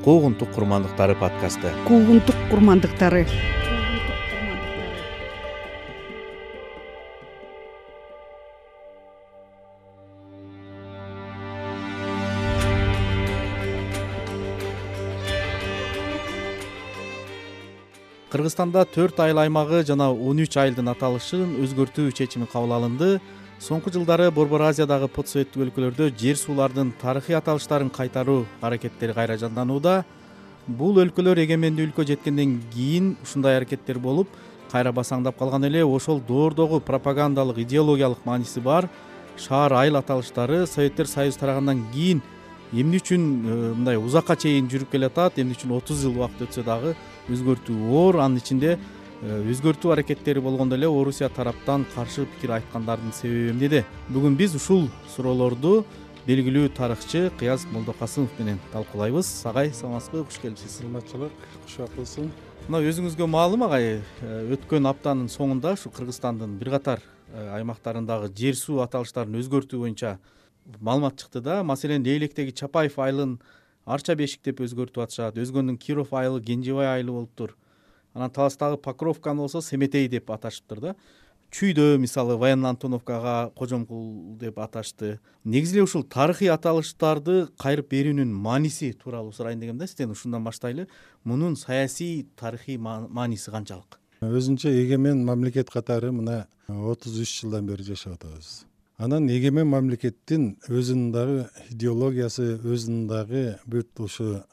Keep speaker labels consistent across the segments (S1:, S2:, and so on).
S1: Куугунтук курмандыктары подкасты.
S2: Куугунтук курмандыктары.
S1: Кыргызстанда 4 айыл аймагы жана 13 айылдын аталышын өзгөртүү чечими кабыл алынды. Соңку жылдары Борбор Азиядагы постсоветтик өлкөлөрдө жер суулардын тарыхый аталыштарын кайтаруу аракеттери кайра жанданууда. Бул өлкөлөр эгемендүү өлкө жеткенден кийин ушундай аракеттер болуп, кайра басаңдап калган эле. Ошол доордогу пропагандалык, идеологиялык мааниси бар шаар айыл аталыштары Советтер Союзу тарагандан кийин эмне үчүн мындай узакка чейин жүрүп келатат, эмне үчүн 30 жыл убакыт өтсө дагы өзгөртүү оор. Анын ичинде өзгөртүү аракеттери болгондо эле Орусия тараптан каршы пикир айткандардын себеби эмнеде? Бүгүн биз ушул суроолорду белгилүү тарыхчы Кыяз Молдокасымов менен талкуулайбыз. Агай, саламатсызбы? Куш келипсиз.
S3: Саламатчылык, кушак болсун.
S1: Мына өзүңүзгө маалым, агай, өткөн аптанын соңунда ушу Кыргызстандын бир катар аймактарындагы жер суу аталыштарын өзгөртүү боюнча маалымат чыкты да. Маселен, Лейлектеги Чапаев айылын Арча Бешик деп өзгөртүп атышат. Өзгөндүн Киров айылы Кенжебай айылы болуптур. Анан Таластагы Покровканы болсо Семетей деп аташыптыр да. Чүйдө мисалы Военно Антоновкага Кожомкул деп аташты. Негизи эле ушул тарыхый аталыштарды кайрып берүүнүн мааниси тууралуу сурайын дегем да. Сизден ушундан баштайлы. Мунун саясий, тарыхый мааниси канчалык?
S3: Өзүнчө эгемен мамлекет катары мына 33 жылдан бери жашап атабыз. Анан эгемен мамлекеттин өзүнүн дагы идеологиясы, өзүнүн дагы бүт ушу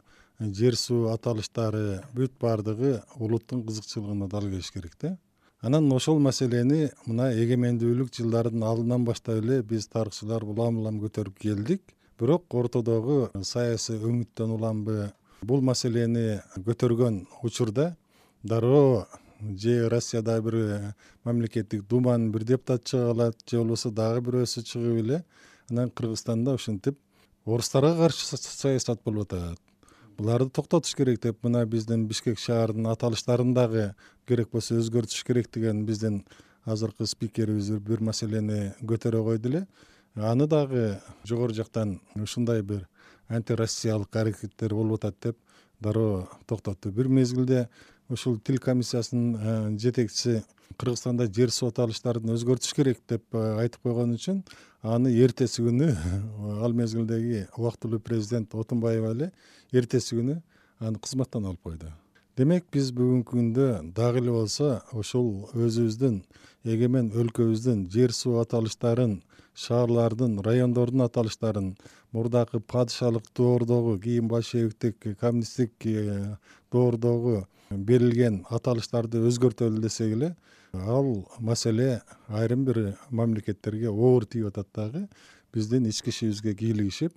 S3: жер суу аталыштары бүт баардыгы улуттун кызыкчылыгына дал келиш керек да. Анан ошол маселени мына эгемендүүлүк жылдарынын алдынан баштап эле биз тарыхчылар улам көтөрүп келдик. Бирок ортодогу саясий өңүттөн уламбы бул маселени көтөргөн учурда дароо же Россияда бир мамлекеттик думанын бир депутаты чыга алат, же болбосо дагы бирөөсү чыгып эле анан Кыргызстанда ушинтип орустарга каршы саясат болуп атат. Буларды токтотуш керек деп мына биздин Бишкек шаарынын аталыштарын дагы керек болсо өзгөртүш керек деген биздин азыркы спикерибиз бир маселени көтөрө койду эле. Аны дагы жогору жактан ушундай бир антироссиялык аракеттер болуп атат деп дароо токтотту. Бир мезгилде ушул тил комиссиясынын жетекчиси Кыргызстанда жер суу аталыштарын өзгөртүш керек деп айтып койгон үчүн аны эртеси күнү ал мезгилдеги убактылуу президент Отунбаева эле эртеси күнү аны кызматтан алып койду. Демек биз бүгүнкү күндө дагы эле болсо ошол өзүбүздүн эгемен өлкөбүздүн жер суу аталыштарын, шаарлардын, райондордун аталыштарын мурдакы падышалык доордогу, кийин большевиктик, коммунисттик доордогу берилген аталыштарды өзгөртөлү десек эле ал маселе айрым бир мамлекеттерге оор тийип атат дагы. Биздин ички ишибизге кийлигишип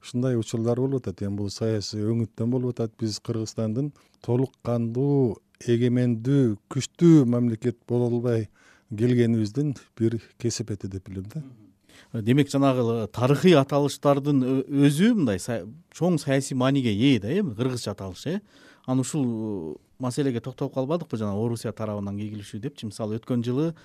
S3: ушундай учурлар болуп атат. Эми бул саясий өңүттөн болуп атат. Биз Кыргызстандын толук кандуу, эгемендүү, күчтүү мамлекет боло албай келгенибиздин бир кесепети деп билем да.
S1: Демек, жанагы тарыхый аталыштардын өзү мындай чоң саясий мааниге ээ да, эми кыргызча аталыш, Аны ушул маселеге токтолуп калбадыкпы, жана Орусия тарабынан ийгилишүү депчи? Мисалы, өткөн жылы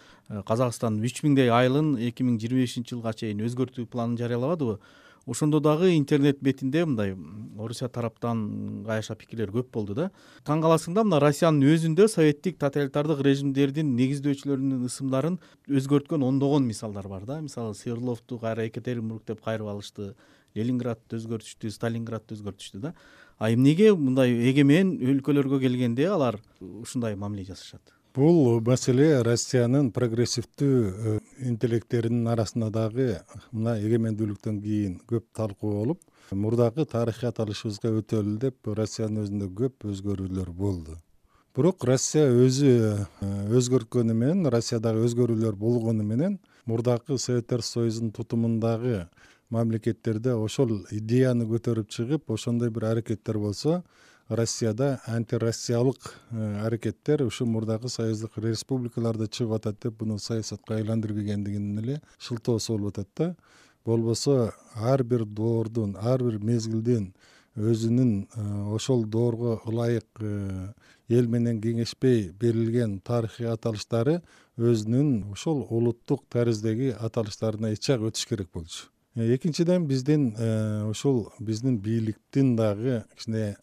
S1: Казакстан 3000 айылын 2025 жылга чейин өзгөртүү планын жарыялабадыбы? Ошондо дагы интернет бетинде мындай Орусия тараптан кайша пикирлер көп болду да. Таң каласың да, мына Россиянын өзүндө советтик тоталитардык режимдердин негиздөөчүлөрүнүн ысымдарын өзгөрткөн ондогон мисалдар бар да. Мисалы, Свердловду кайра Екатеринбург деп кайрып алышты, Ленинградты өзгөртүштү, Сталинградты өзгөртүштү да. Эмнеге мындай эгемен өлкөлөргө келгенде алар ушундай мамиле жасашат?
S3: Бул маселе Россиянын прогрессивдүү интеллекттеринин арасында дагы мына эгемендүүлүктөн кийин көп талкуу болуп, мурдагы тарыхый аталышыбызга өтөлү деп Россиянын өзүндө көп өзгөрүүлөр болду. Бирок Россия өзү өзгөрткөнү менен, Россиядагы өзгөрүүлөр болгону менен мурдагы Советтер Союзунун тутумундагы мамлекеттерде ошол идеяны көтөрүп чыгып, ошондой бир аракеттер болсо, Россияда антироссиялык аракеттер ушу мурдагы союздук республикаларда чыгып атат деп буну саясатка айландырбегендигинин эле шылтоосу болуп атат да. Болбосо ар бир доордун, ар бир мезгилдин өзүнүн ошол доорго ылайык эл менен кеңешпей берилген тарыхый аталыштары өзүнүн ошол улуттук тариздеги аталыштарына ичак өтүш керек болчу. Экинчиден, биздин ушул биздин бийликтин дагы кичине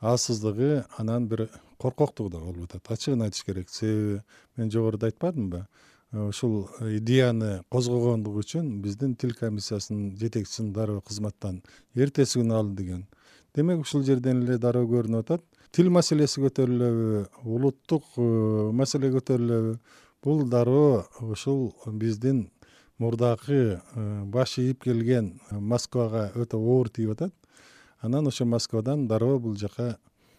S3: алсыздыгы, анан бир коркоктугу да болуп атат. Ачыгын айтыш керек. Себеби мен жогоруда айтпадымбы? Ушул идеяны козгогондугу үчүн биздин тил комиссиясынын жетекчисин дароо кызматтан эртеси күнү алды деген. Демек ушул жерден эле дароо көрүнүп атат. Тил маселеси көтөрүлөбү, улуттук маселе көтөрүлөбү? Бул дароо ушул биздин мурдакы баш ийип келген Москвага өтө оор тийип атат. Анан ошо Москвадан дароо бул жака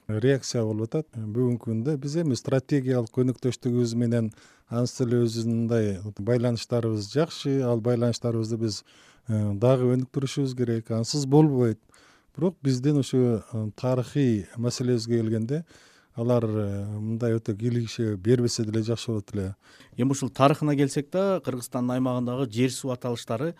S3: реакция болуп атат. Бүгүнкү күндө биз эми стратегиялык өнөктөштүгүбүз менен анча эле өзүндай байланыштарыбыз жакшы. Ал байланыштарыбызды биз дагы өнүктүрүшүбүз керек. Ансыз болбойт. Бирок биздин ушу тарыхый маселебизге келгенде алар мындай өтө кийлигише бербесе деле жакшы болот эле.
S1: Эми ушул тарыхына келсек да, Кыргызстандын аймагындагы жер суу аталыштары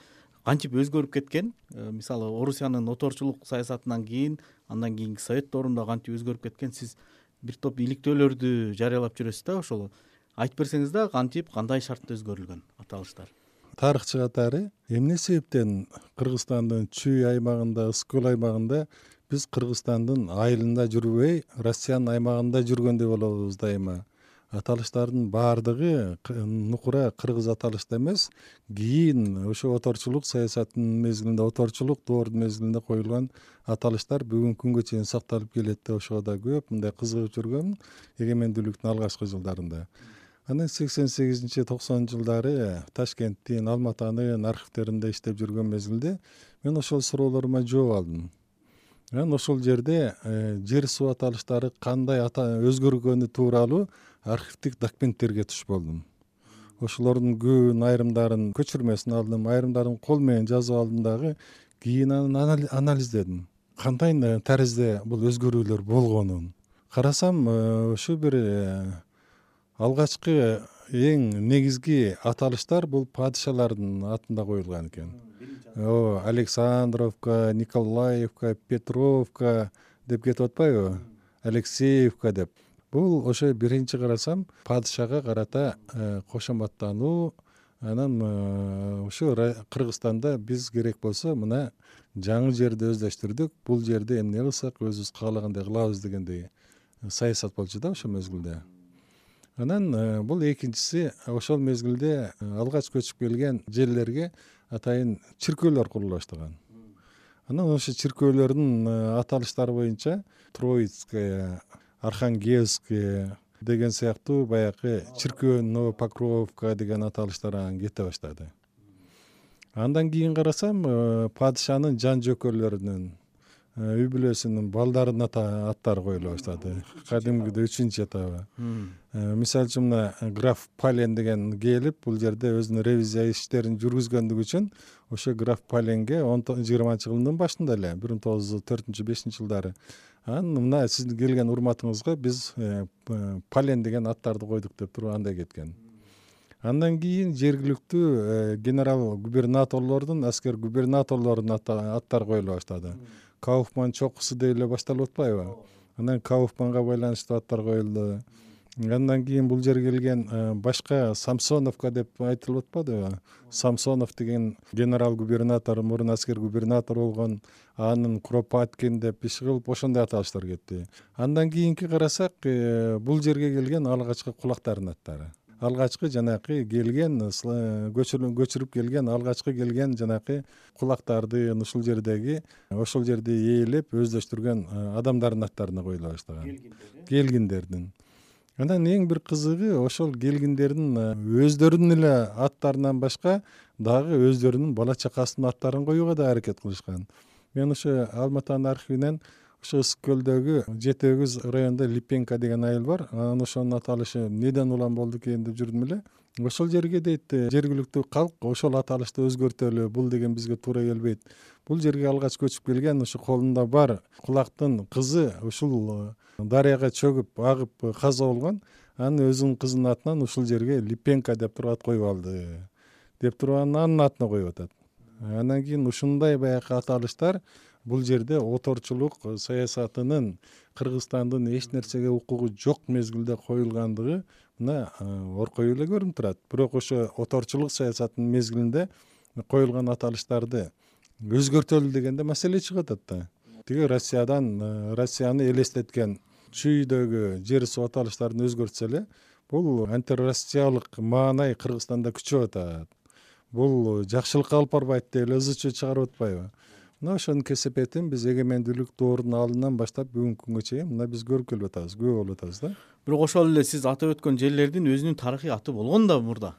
S1: кантип өзгөрүп кеткен? Мисалы, Орусиянын оторчулук саясатынан кийин, андан кийинки Совет доорунда кантип өзгөрүп кеткен? Сиз бир топ иликтөөлөрдү жарыялап жүрөсүз да, ошол айтып берсеңиз да, кантип, кандай шартта өзгөрүлгөн аталыштар?
S3: Тарыхчы катары эмне себептен Кыргызстандын Чүй аймагында, ысык көл аймагында биз Кыргызстандын айылында жүрбөй, Россиянын аймагында жүргөндөй болобуз дайыма? Аталыштардын баардыгы нукура кыргыз аталышта эмес, кийин ошо оторчулук саясатынын мезгилинде, оторчулук доордун мезгилинде коюлган аталыштар бүгүнкү күнгө чейин сакталып келет. Ошого да көп мындай кызыгып жүргөм эгемендүүлүктүн алгачкы жылдарында. Анан 88-90 жылдары Ташкенттин, Алматанын архивдеринде иштеп жүргөн мезгилде мен ошол суроолорума жооп алдым. Анан ошол жерде жер суу аталыштары кандай өзгөргөнү тууралуу архивдик документтерге туш болдум. Ошолордун көбүнүн айрымдарын көчүрмөсүн алдым, айрымдарын кол менен жазып алдым дагы. Кийин анан анализдедим. Кандай таризде бул өзгөрүүлөр болгонун карасам, ошо бир алгачкы эң негизги аталыштар бул падышалардын атында коюлган экен. Александровка, Николаевка, Петровка деп кетип атпайбы? Алексеевка деп. Бул ошо биринчи карасам падышага карата кошоматтануу. Анан ошо Кыргызстанда биз керек болсо мына жаңы жерди өздөштүрдүк. Бул жерде эмне кылсак өзүбүз каалагандай кылабыз дегендей саясат болчу да ошол мезгилде. Анан бул экинчиси, ошол мезгилде алгач көчүп келген жерлерге атайын чиркөөлөр курула баштаган. Анан ошо чиркөөлөрдүн аталыштары боюнча Троицкая, Архангельская деген сыяктуу баягы чиркөө, Новопокровка деген аталыштар анан кете баштады. Андан кийин карасам, падышанын жан жөкөлөрүнүн, үй бүлөсүнүн балдарынын аттары коюла баштады. Кадимгидей 3-чү этабы. Мисалы үчүн мына граф Пален деген келип, бул жерде өзүнүн ревизия иштерин жүргүзгөндүгү үчүн ошо граф Паленге 20-жылдын башында эле 1904-5 жылдары анан мына сиздин келген урматыңызга биз Пален деген аттарды койдук деп туруп андай кеткен. Андан кийин жергиликтүү генерал губернаторлордун, аскер губернаторлордун аттары коюла баштады. Кауфман чокусу деп эле башталып атпайбы? Анан Кауфманга байланыштуу аттар коюлду. Андан кийин бул жерге келген башка Самсоновка деп айтылып атпадыбы? Самсонов деген генерал губернатор, мурун аскер губернатор болгон, анын Куропаткин деп иш кылып ошондой аталыштар кетти. Андан кийинки карасак, бул жерге келген алгачкы кулактардын аттары. Алгачкы жанакы келген, көчүрүп келген, алгачкы келген жанакы кулактарды ушул жерде ээлеп өздөштүргөн адамдардын аттарына коюла баштаган. Келгиндердин. Анан эң бир кызыгы, ошол келгиндердин өздөрүнүн эле аттарынан башка дагы өздөрүнүн бала чакасынын аттарын коюуга да аракет кылышкан. Мен ошо Алматанын архивинен ошо ысык көлдөгү Жети Өгүз районунда Липенко деген айыл бар. Анан ошонун аталышы неден улам болду экен деп жүрдүм эле. Ошол жерге дейт жергиликтүү калк ошол аталышты өзгөртөлү, бул деген бизге туура келбейт. Бул жерге алгач көчүп келген ошо колунда бар кулактын кызы ушул дарыяга чөгүп агып каза болгон. Анын өзүнүн кызынын атынан ушул жерге Липенко деп туруп ат коюп алды деп туруп анын атына коюп атат. Андан кийин ушундай баягы аталыштар бул жерде оторчулук саясатынын Кыргызстандын эч нерсеге укугу жок мезгилде коюлгандыгы мына оркой эле көрүнүп турат. Бирок ошо оторчулук саясатынын мезгилинде коюлган аталыштарды өзгөртөлү дегенде маселе чыгып атат да. тиги Россияны элестеткен чүйдөгү жер суу аталыштарын өзгөртсө эле бул антироссиялык маанай Кыргызстанда күчөп атат. Бул жакшылыкка алып барбайт деп эле ызы чуу чыгарып атпайбы? Мына ошонун кесепетин биз эгемендүүлүк доорунун алдынан баштап бүгүнкү күнгө чейин мына биз көрүп келип атабыз, күбө болуп атабыз да.
S1: Бирок ошол эле сиз атап өткөн жерлердин өзүнүн тарыхый аты болгон да мурда.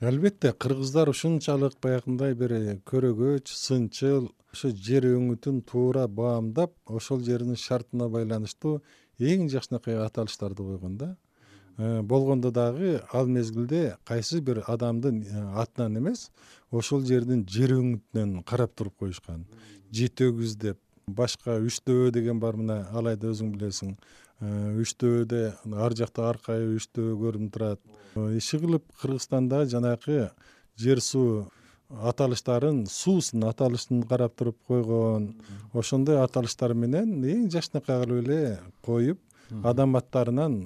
S3: Албетте, кыргыздар ушунчалык баягындай бир көрөгөч, сынчыл, ошо жер өңүтүн туура баамдап, ошол жердин шартына байланыштуу эң жакшынакай аталыштарды койгон да. Болгондо дагы ал мезгилде кайсы бир адамдын атынан эмес, ошол жердин жер өңүтүнөн карап туруп коюшкан. Житөгүз деп, башка Үчтөбө деген бар, мына алайда өзүң билесиң. Үчтөбөдө ар жакта Аркай Үчтөбө көрүнүп турат. Иши кылып Кыргызстанда жанакы жер суу аталыштарын суусунун аталышын карап туруп койгон. Ошондой аталыштар менен эң жакшынакай кылып эле коюп, адам аттарынан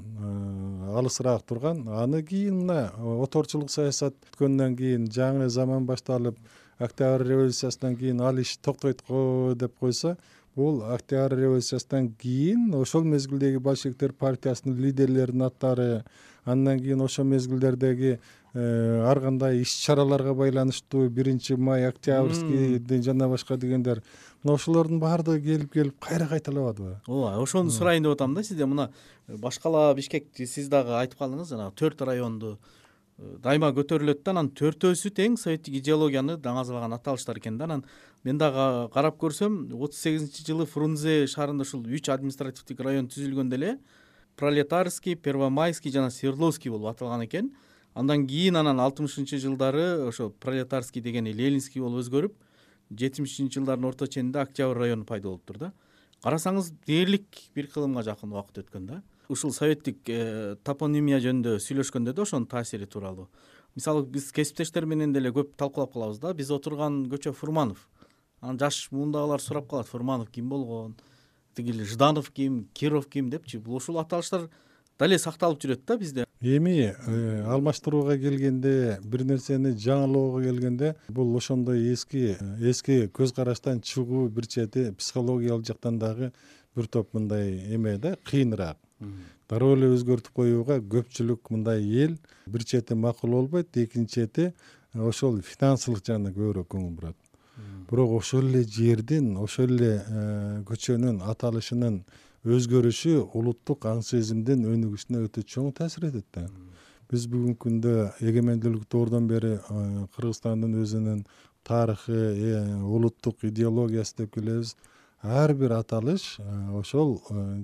S3: алысыраак турган. Аны кийин мына оторчулук саясат өткөндөн кийин, жаңы заман башталып, Октябрь революциясынан кийин ал иш токтойт го деп койсо, бул Октябрь революциясынан кийин ошол мезгилдеги большевиктер партиясынын лидерлеринин аттары, андан кийин ошол мезгилдердеги ар кандай иш-чараларга байланыштуу 1 май, Октябрьский жана башка дегендер, мына ошолордун баардыгы келип кайра кайталабадыбы?
S1: Ооба, ошону сурайын деп атам да сизден. Мына башкала Бишкек, сиз дагы айтып калдыңыз, жана 4 районду дайыма көтөрүлөт да, анан 4-өсү тең советтик идеологияны даңазалаган аталыштар экен да. Анан мен дагы карап көрсөм, 38-жылы Фрунзе шаарында ушул 3 административдик район түзүлгөндө эле Пролетарский, Первомайский жана Свердловский болуп аталган экен. Андан кийин 60-жылдары ошо Пролетарский дегени Ленинский болуп өзгөрүп, 70-жылдардын орто ченинде Октябрь району пайда болуптур да. Карасаңыз дээрлик бир кылымга жакын убакыт өткөн да. Ушул советтик топонимия жөнүндө сүйлөшкөндө да ошонун таасири тууралуу. Мисалы биз кесиптештер менен деле көп талкуулап калабыз да. Биз отурган көчө Фурманов. Анан жаш муундагылар сурап калат: Фурманов ким болгон? Тигил Жданов ким, Киров ким депчи. Бул ушул аталыштар дале сакталып жүрөт да бизде.
S3: Эми алмаштырууга келгенде, бир нерсени жаңылоого келгенде, бул ошондой эски көз караштан чыгуу, бир чети психологиялык жактан дагы бир топ мындай эме да, кыйыныраак. Дароо эле өзгөртүп коюуга көпчүлүк мындай эл бир чети макул болбойт, экинчи чети ошол финансылык жагына көбүрөөк көңүл бурат. Бирок ошол эле жердин, ошол эле көчөнүн аталышынын өзгөрүшү улуттук аң сезимдин өнүгүшүнө өтө чоң таасир этет да. Биз бүгүнкү күндө эгемендүүлүк доордон бери Кыргызстандын өзүнүн тарыхы, улуттук идеологиясы деп келебиз. Ар бир аталыш ошол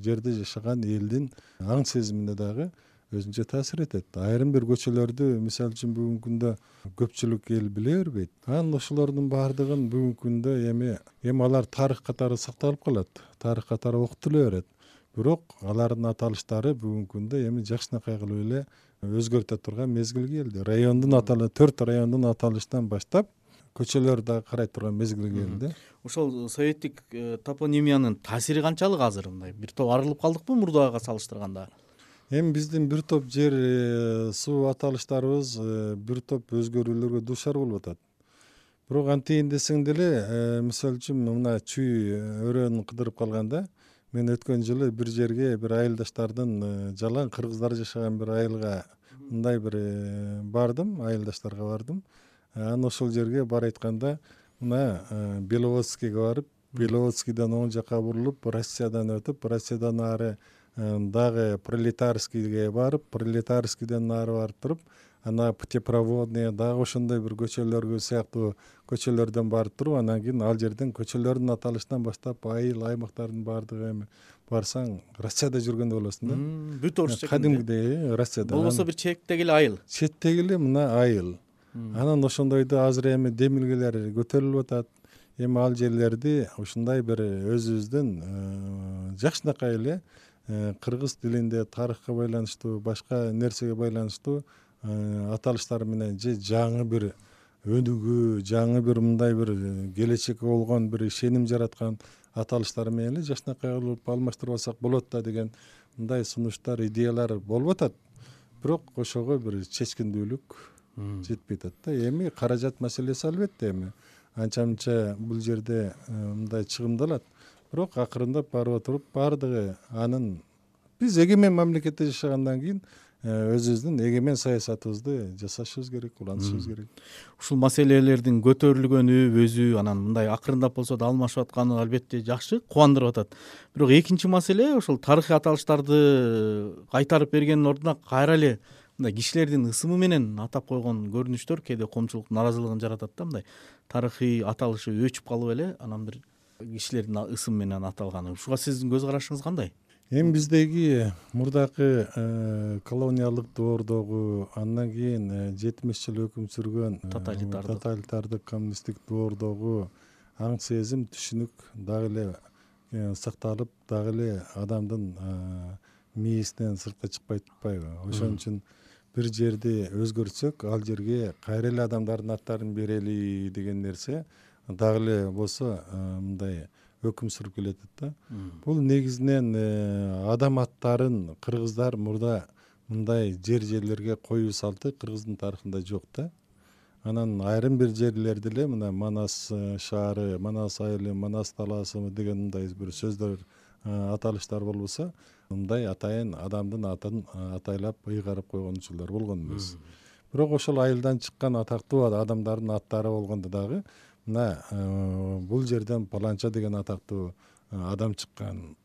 S3: жерде жашаган элдин аң сезимине дагы өзүнчө таасир этет. Айрым бир көчөлөрдү, мисалы үчүн бүгүнкү күндө көпчүлүк эл биле бербейт. Анан ошолордун баардыгын бүгүнкү күндө эми алар тарых катары сакталып калат, тарых катары окутула берет. Бирок алардын аталыштары бүгүнкү күндө эми жакшынакай кылып эле өзгөртө турган мезгил келди. 4 райондун аталышынан баштап көчөлөр да карай турган мезгил келди.
S1: Ошол советтик топонимиянын таасири канчалык азыр? Мындай бир топ арылып калдыкпы мурдага салыштырганда?
S3: Эми биздин бир топ жер суу аталыштарыбыз бир топ өзгөрүүлөргө дуушар болуп атат. Бирок антейин десең деле, мисалы үчүн мына чүй өрөөнү кыдырып калганда, мен өткөн жылы бир жерге бир айылдаштардын, жалаң кыргыздар жашаган бир айылга мындай бир бардым, айылдаштарга бардым. Анан ошол жерге бар айтканда, мына Беловодскийге барып, Беловодскийден оң жака бурулуп, Россиядан өтүп, Россиядан ары дагы Пролетарскийге барып, Пролетарскийден ары барып туруп, ана Путепроводный дагы ошондой бир көчөлөргө сыяктуу көчөлөрдөн барып туруп, анан кийин ал жерден көчөлөрдүн аталышынан баштап айыл аймактардын баардыгы эми барсаң Россияда жүргөндөй болосуң да.
S1: Бүт орус чекинде.
S3: Кадимгидей Россияда.
S1: Болбосо бир чектеги эле айыл.
S3: Четтеги эле мына айыл. Анан ошондойду азыр эми демилгелер көтөрүлүп атат. Эми ал жерлерди ушундай бир өзүбүздүн жакшынакай эле кыргыз тилинде тарыхка байланыштуу, башка нерсеге байланыштуу аталыштар менен же жаңы бир өнүгүү, жаңы бир мындай бир келечекке болгон бир ишеним жараткан аталыштар менен эле жакшынакай кылып алмаштырып алсак болот да деген мындай сунуштар, идеялар болуп атат. Бирок ошого бир чечкиндүүлүк жетпей атат да. Эми каражат маселеси албетте эми анча-мынча бул жерде мындай чыгымдалат. бирок акырындап барып отуруп баардыгы анын биз эгемен мамлекетте жашагандан кийин өзүбүздүн эгемен саясатыбызды жасашыбыз керек, улантышыбыз керек.
S1: Ушул маселелердин көтөрүлгөнү өзү анан мындай акырындап болсо да алмашып атканы албетте жакшы, кубандырып атат. Бирок экинчи маселе ошол тарыхый аталыштарды кайтарып бергендин ордуна кайра эле мындай кишилердин ысымы менен атап койгон көрүнүштөр кээде коомчулук нааразылыгын жаратат да, мындай тарыхый аталышы өчүп калып эле анан бир кишилердин ысымы менен аталганы. Ушуга сиздин көз карашыңыз кандай?
S3: Эми биздеги мурдакы колониалдык доордогу, андан кийин 70 жыл өкүм сүргөн тоталитардык коммунисттик доордогу аң сезим, түшүнүк дагы эле сакталып, дагы эле адамдын мээсинен сыртка чыкпай турпайбы? Ошон үчүн бир жерди өзгөртсөк, ал жерге кайра эле адамдардын аттарын берели деген нерсе дагы эле болсо мындай өкүм сүрүп келатат да. Бул негизинен адам аттарын кыргыздар мурда мындай жерлерге коюу салты кыргыздын тарыхында жок да. Анан айрым бир жерлерде эле мына Манас шаары, Манас айылы, Манас талаасы деген мындай бир сөздөр, аталыштар болбосо, мындай атайын адамдын атын атайлап ыйгарып койгон учурлар болгон эмес. Бирок ошол айылдан чыккан атактуу адамдардын аттары болгондо дагы мына бул жерден паланча деген атактуу адам чыккан,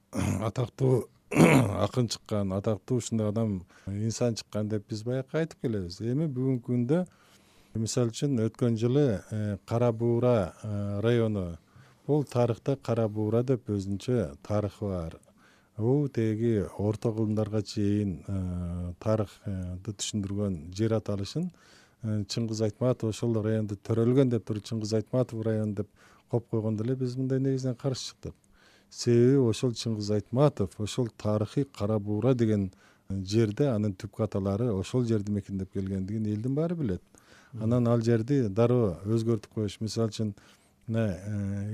S3: атактуу акын чыккан, атактуу ушундай адам, инсан чыккан деп биз баягы айтып келебиз. Эми бүгүнкү күндө мисалы үчүн өткөн жылы Кара Буура району, бул тарыхта Кара Буура деп өзүнчө тарыхы бар. Бул теги орто кылымдарга чейин тарыхты түшүндүргөн жер аталышын Чыңгыз Айтматов ошол районду төрөлгөн деп туруп Чыңгыз Айтматов району деп коюп койгондо эле биз мындай негизинен каршы чыктык. Себеби ошол Чыңгыз Айтматов ошол тарыхый Кара Буура деген жерде анын түпкү аталары ошол жерди мекендеп келгендигин элдин баары билет. Анан ал жерди дароо өзгөртүп коюш. Мисалы үчүн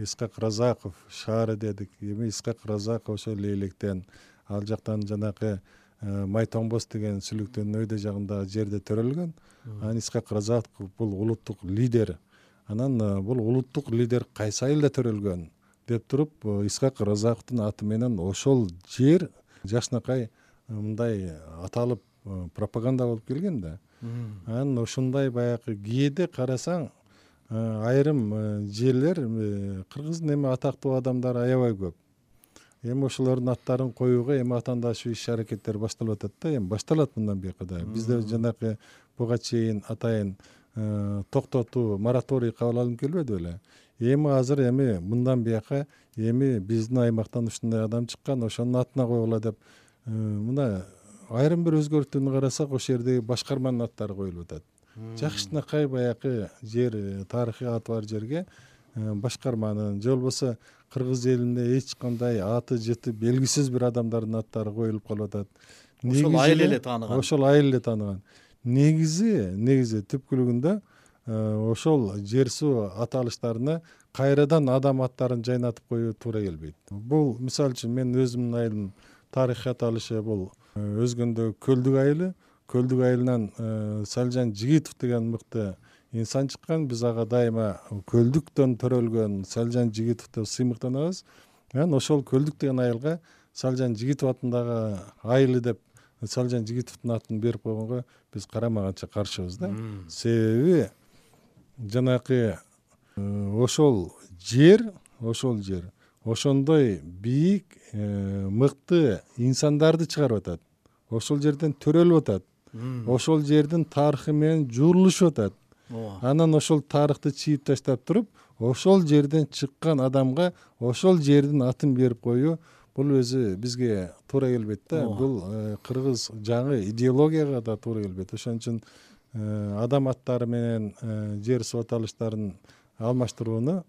S3: Исхак Разаков шаары дедик. Эми Исхак Разаков ошол Лейлектен, ал жактан жанакы Майтомбос деген Сүлүктүн өйдө жагындагы жерде төрөлгөн. Анан Исхак Разаков бул улуттук лидер. Анан бул улуттук лидер кайсы айылда төрөлгөн деп туруп Исхак Разаковдун аты менен ошол жер жакшынакай мындай аталып пропаганда болуп келген да. Анан ошондой баягы кээде карасаң айрым жерлер кыргыздын эми атактуу адамдары аябай көп. Эми ошолордун аттарын коюуга эми атаандашуу иш-аракеттер башталып атат да, эми башталат мындан бuyaka да. Бизде жанакы буга чейин атайын токтотуу, мораторий кабыл алынып келбеди беле? Эми азыр эми мындан бuyaka эми биздин аймактан ушундай адам чыккан, ошонун атына коюла деп мына айрым бир өзгөртүүнү карасак, ошол жердеги башкарманын аттары коюлуп атат. Жакшынакай баягы жер, тарыхый аты бар жерге башкарманын же болбосо кыргыз элинде эч кандай аты жыты белгисиз бир адамдардын аттары коюлуп калып атат.
S1: Ошол айыл эле тааныган.
S3: Ошол айыл эле тааныган. Негизи түпкүлүгүндө ошол жер суу аталыштарына кайрадан адам аттарын жайнатып коюу туура келбейт. Бул мисалы үчүн мен өзүмдүн айылым тарыхый аталышы бул Өзгөндө Көлдүк айылы. Көлдүк айылынан Салжан Жигитов деген мыкты инсан чыккан. Биз ага дайыма Көлдүктөн төрөлгөн Салжан Жигитов деп сыймыктанабыз. Анан ошол Көлдүк деген айылга Салжан Жигитов атындагы айылы деп Салжан Жигитовдун атын берип койгонго биз карамаганча каршыбыз да. Себеби жанакы ошол жер ошондой бийик, мыкты инсандарды чыгарып атат. Ошол жерден төрөлүп атат. Ошол жердин тарыхы менен журулушуп атат. Анан ошол тарыхты чийип таштап туруп, ошол жерден чыккан адамга ошол жердин атын берип коюу бул өзү бизге туура келбейт да. Бул кыргыз жаңы идеологияга да туура келбейт. Ошон үчүн адам аттары менен жер суу аталыштарын алмаштырууну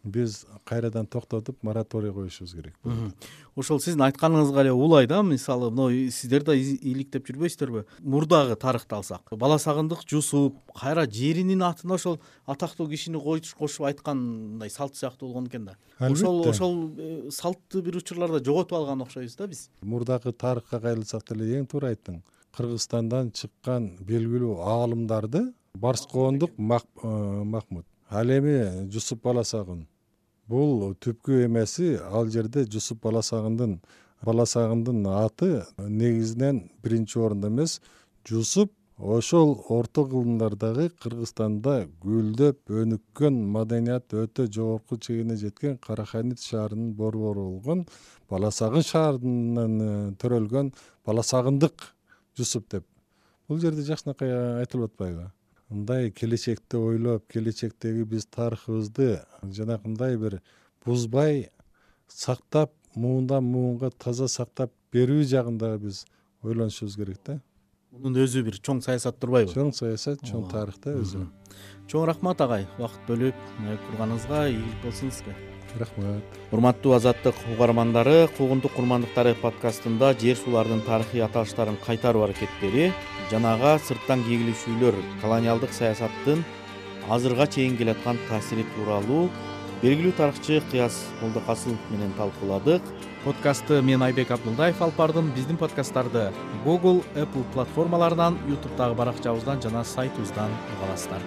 S3: биз кайрадан токтотуп мораторий коюшубуз керек.
S1: Ошол сиздин айтканыңызга эле улай да. Мисалы, мына сиздер да иликтеп жүрбөйсүздөрбү? Мурдагы тарыхты алсак, Бала Сагындык Жусуп кайра жеринин атына ошол атактуу кишини кошуп айткандай салт сыяктуу болгон экен да. Ошол салтты бир учурларда жоготуп алган окшойбуз да биз.
S3: Мурдагы тарыхка кайрылсак деле эң туура айттың. Кыргызстандан чыккан белгилүү аалымдарды Барскоондук Махмут, ал эми Жусуп Баласагын, бул түпкү эмеси ал жерде Жусуп баласагындын аты негизинен биринчи орунда эмес, Жусуп ошол орто кылымдардагы Кыргызстанда гүлдөп өнүккөн, маданият өтө жогорку чегине жеткен Караханит шаарынын борбору болгон Баласагын шаарынан төрөлгөн Баласагындык Жусуп деп. Бул жерде жакшынакай айтылып атпайбы? Мындай келечекти ойлоп, келечектеги биз тарыхыбызды жанакындай бир бузбай сактап, муундан муунга таза сактап берүү жагында биз ойлонушубуз керек да.
S1: Мунун өзү бир чоң саясат турбайбы?
S3: Чоң саясат, чоң тарых да өзү.
S1: Чоң рахмат агай, убакыт бөлүп турганыңызга ийгилик болсун сизге.
S3: Рахмат.
S1: Урматтуу Азаттык угармандары, Куугунтук курмандыктары подкастында жер суулардын тарыхый аталыштарын кайтаруу аракеттери, жанага сырттан кегилишүүлөр, колониалдык саясаттын азырга чейин келаткан таасири тууралуу белгилүү тарыхчы Кыяз Молдокасылов менен талкууладык. Подкастты мен Айбек Абдулдаев алып бардым. Биздин подкасттарды Google, Apple платформаларынан, YouTube'дагы баракчабыздан жана сайтыбыздан уга аласыздар.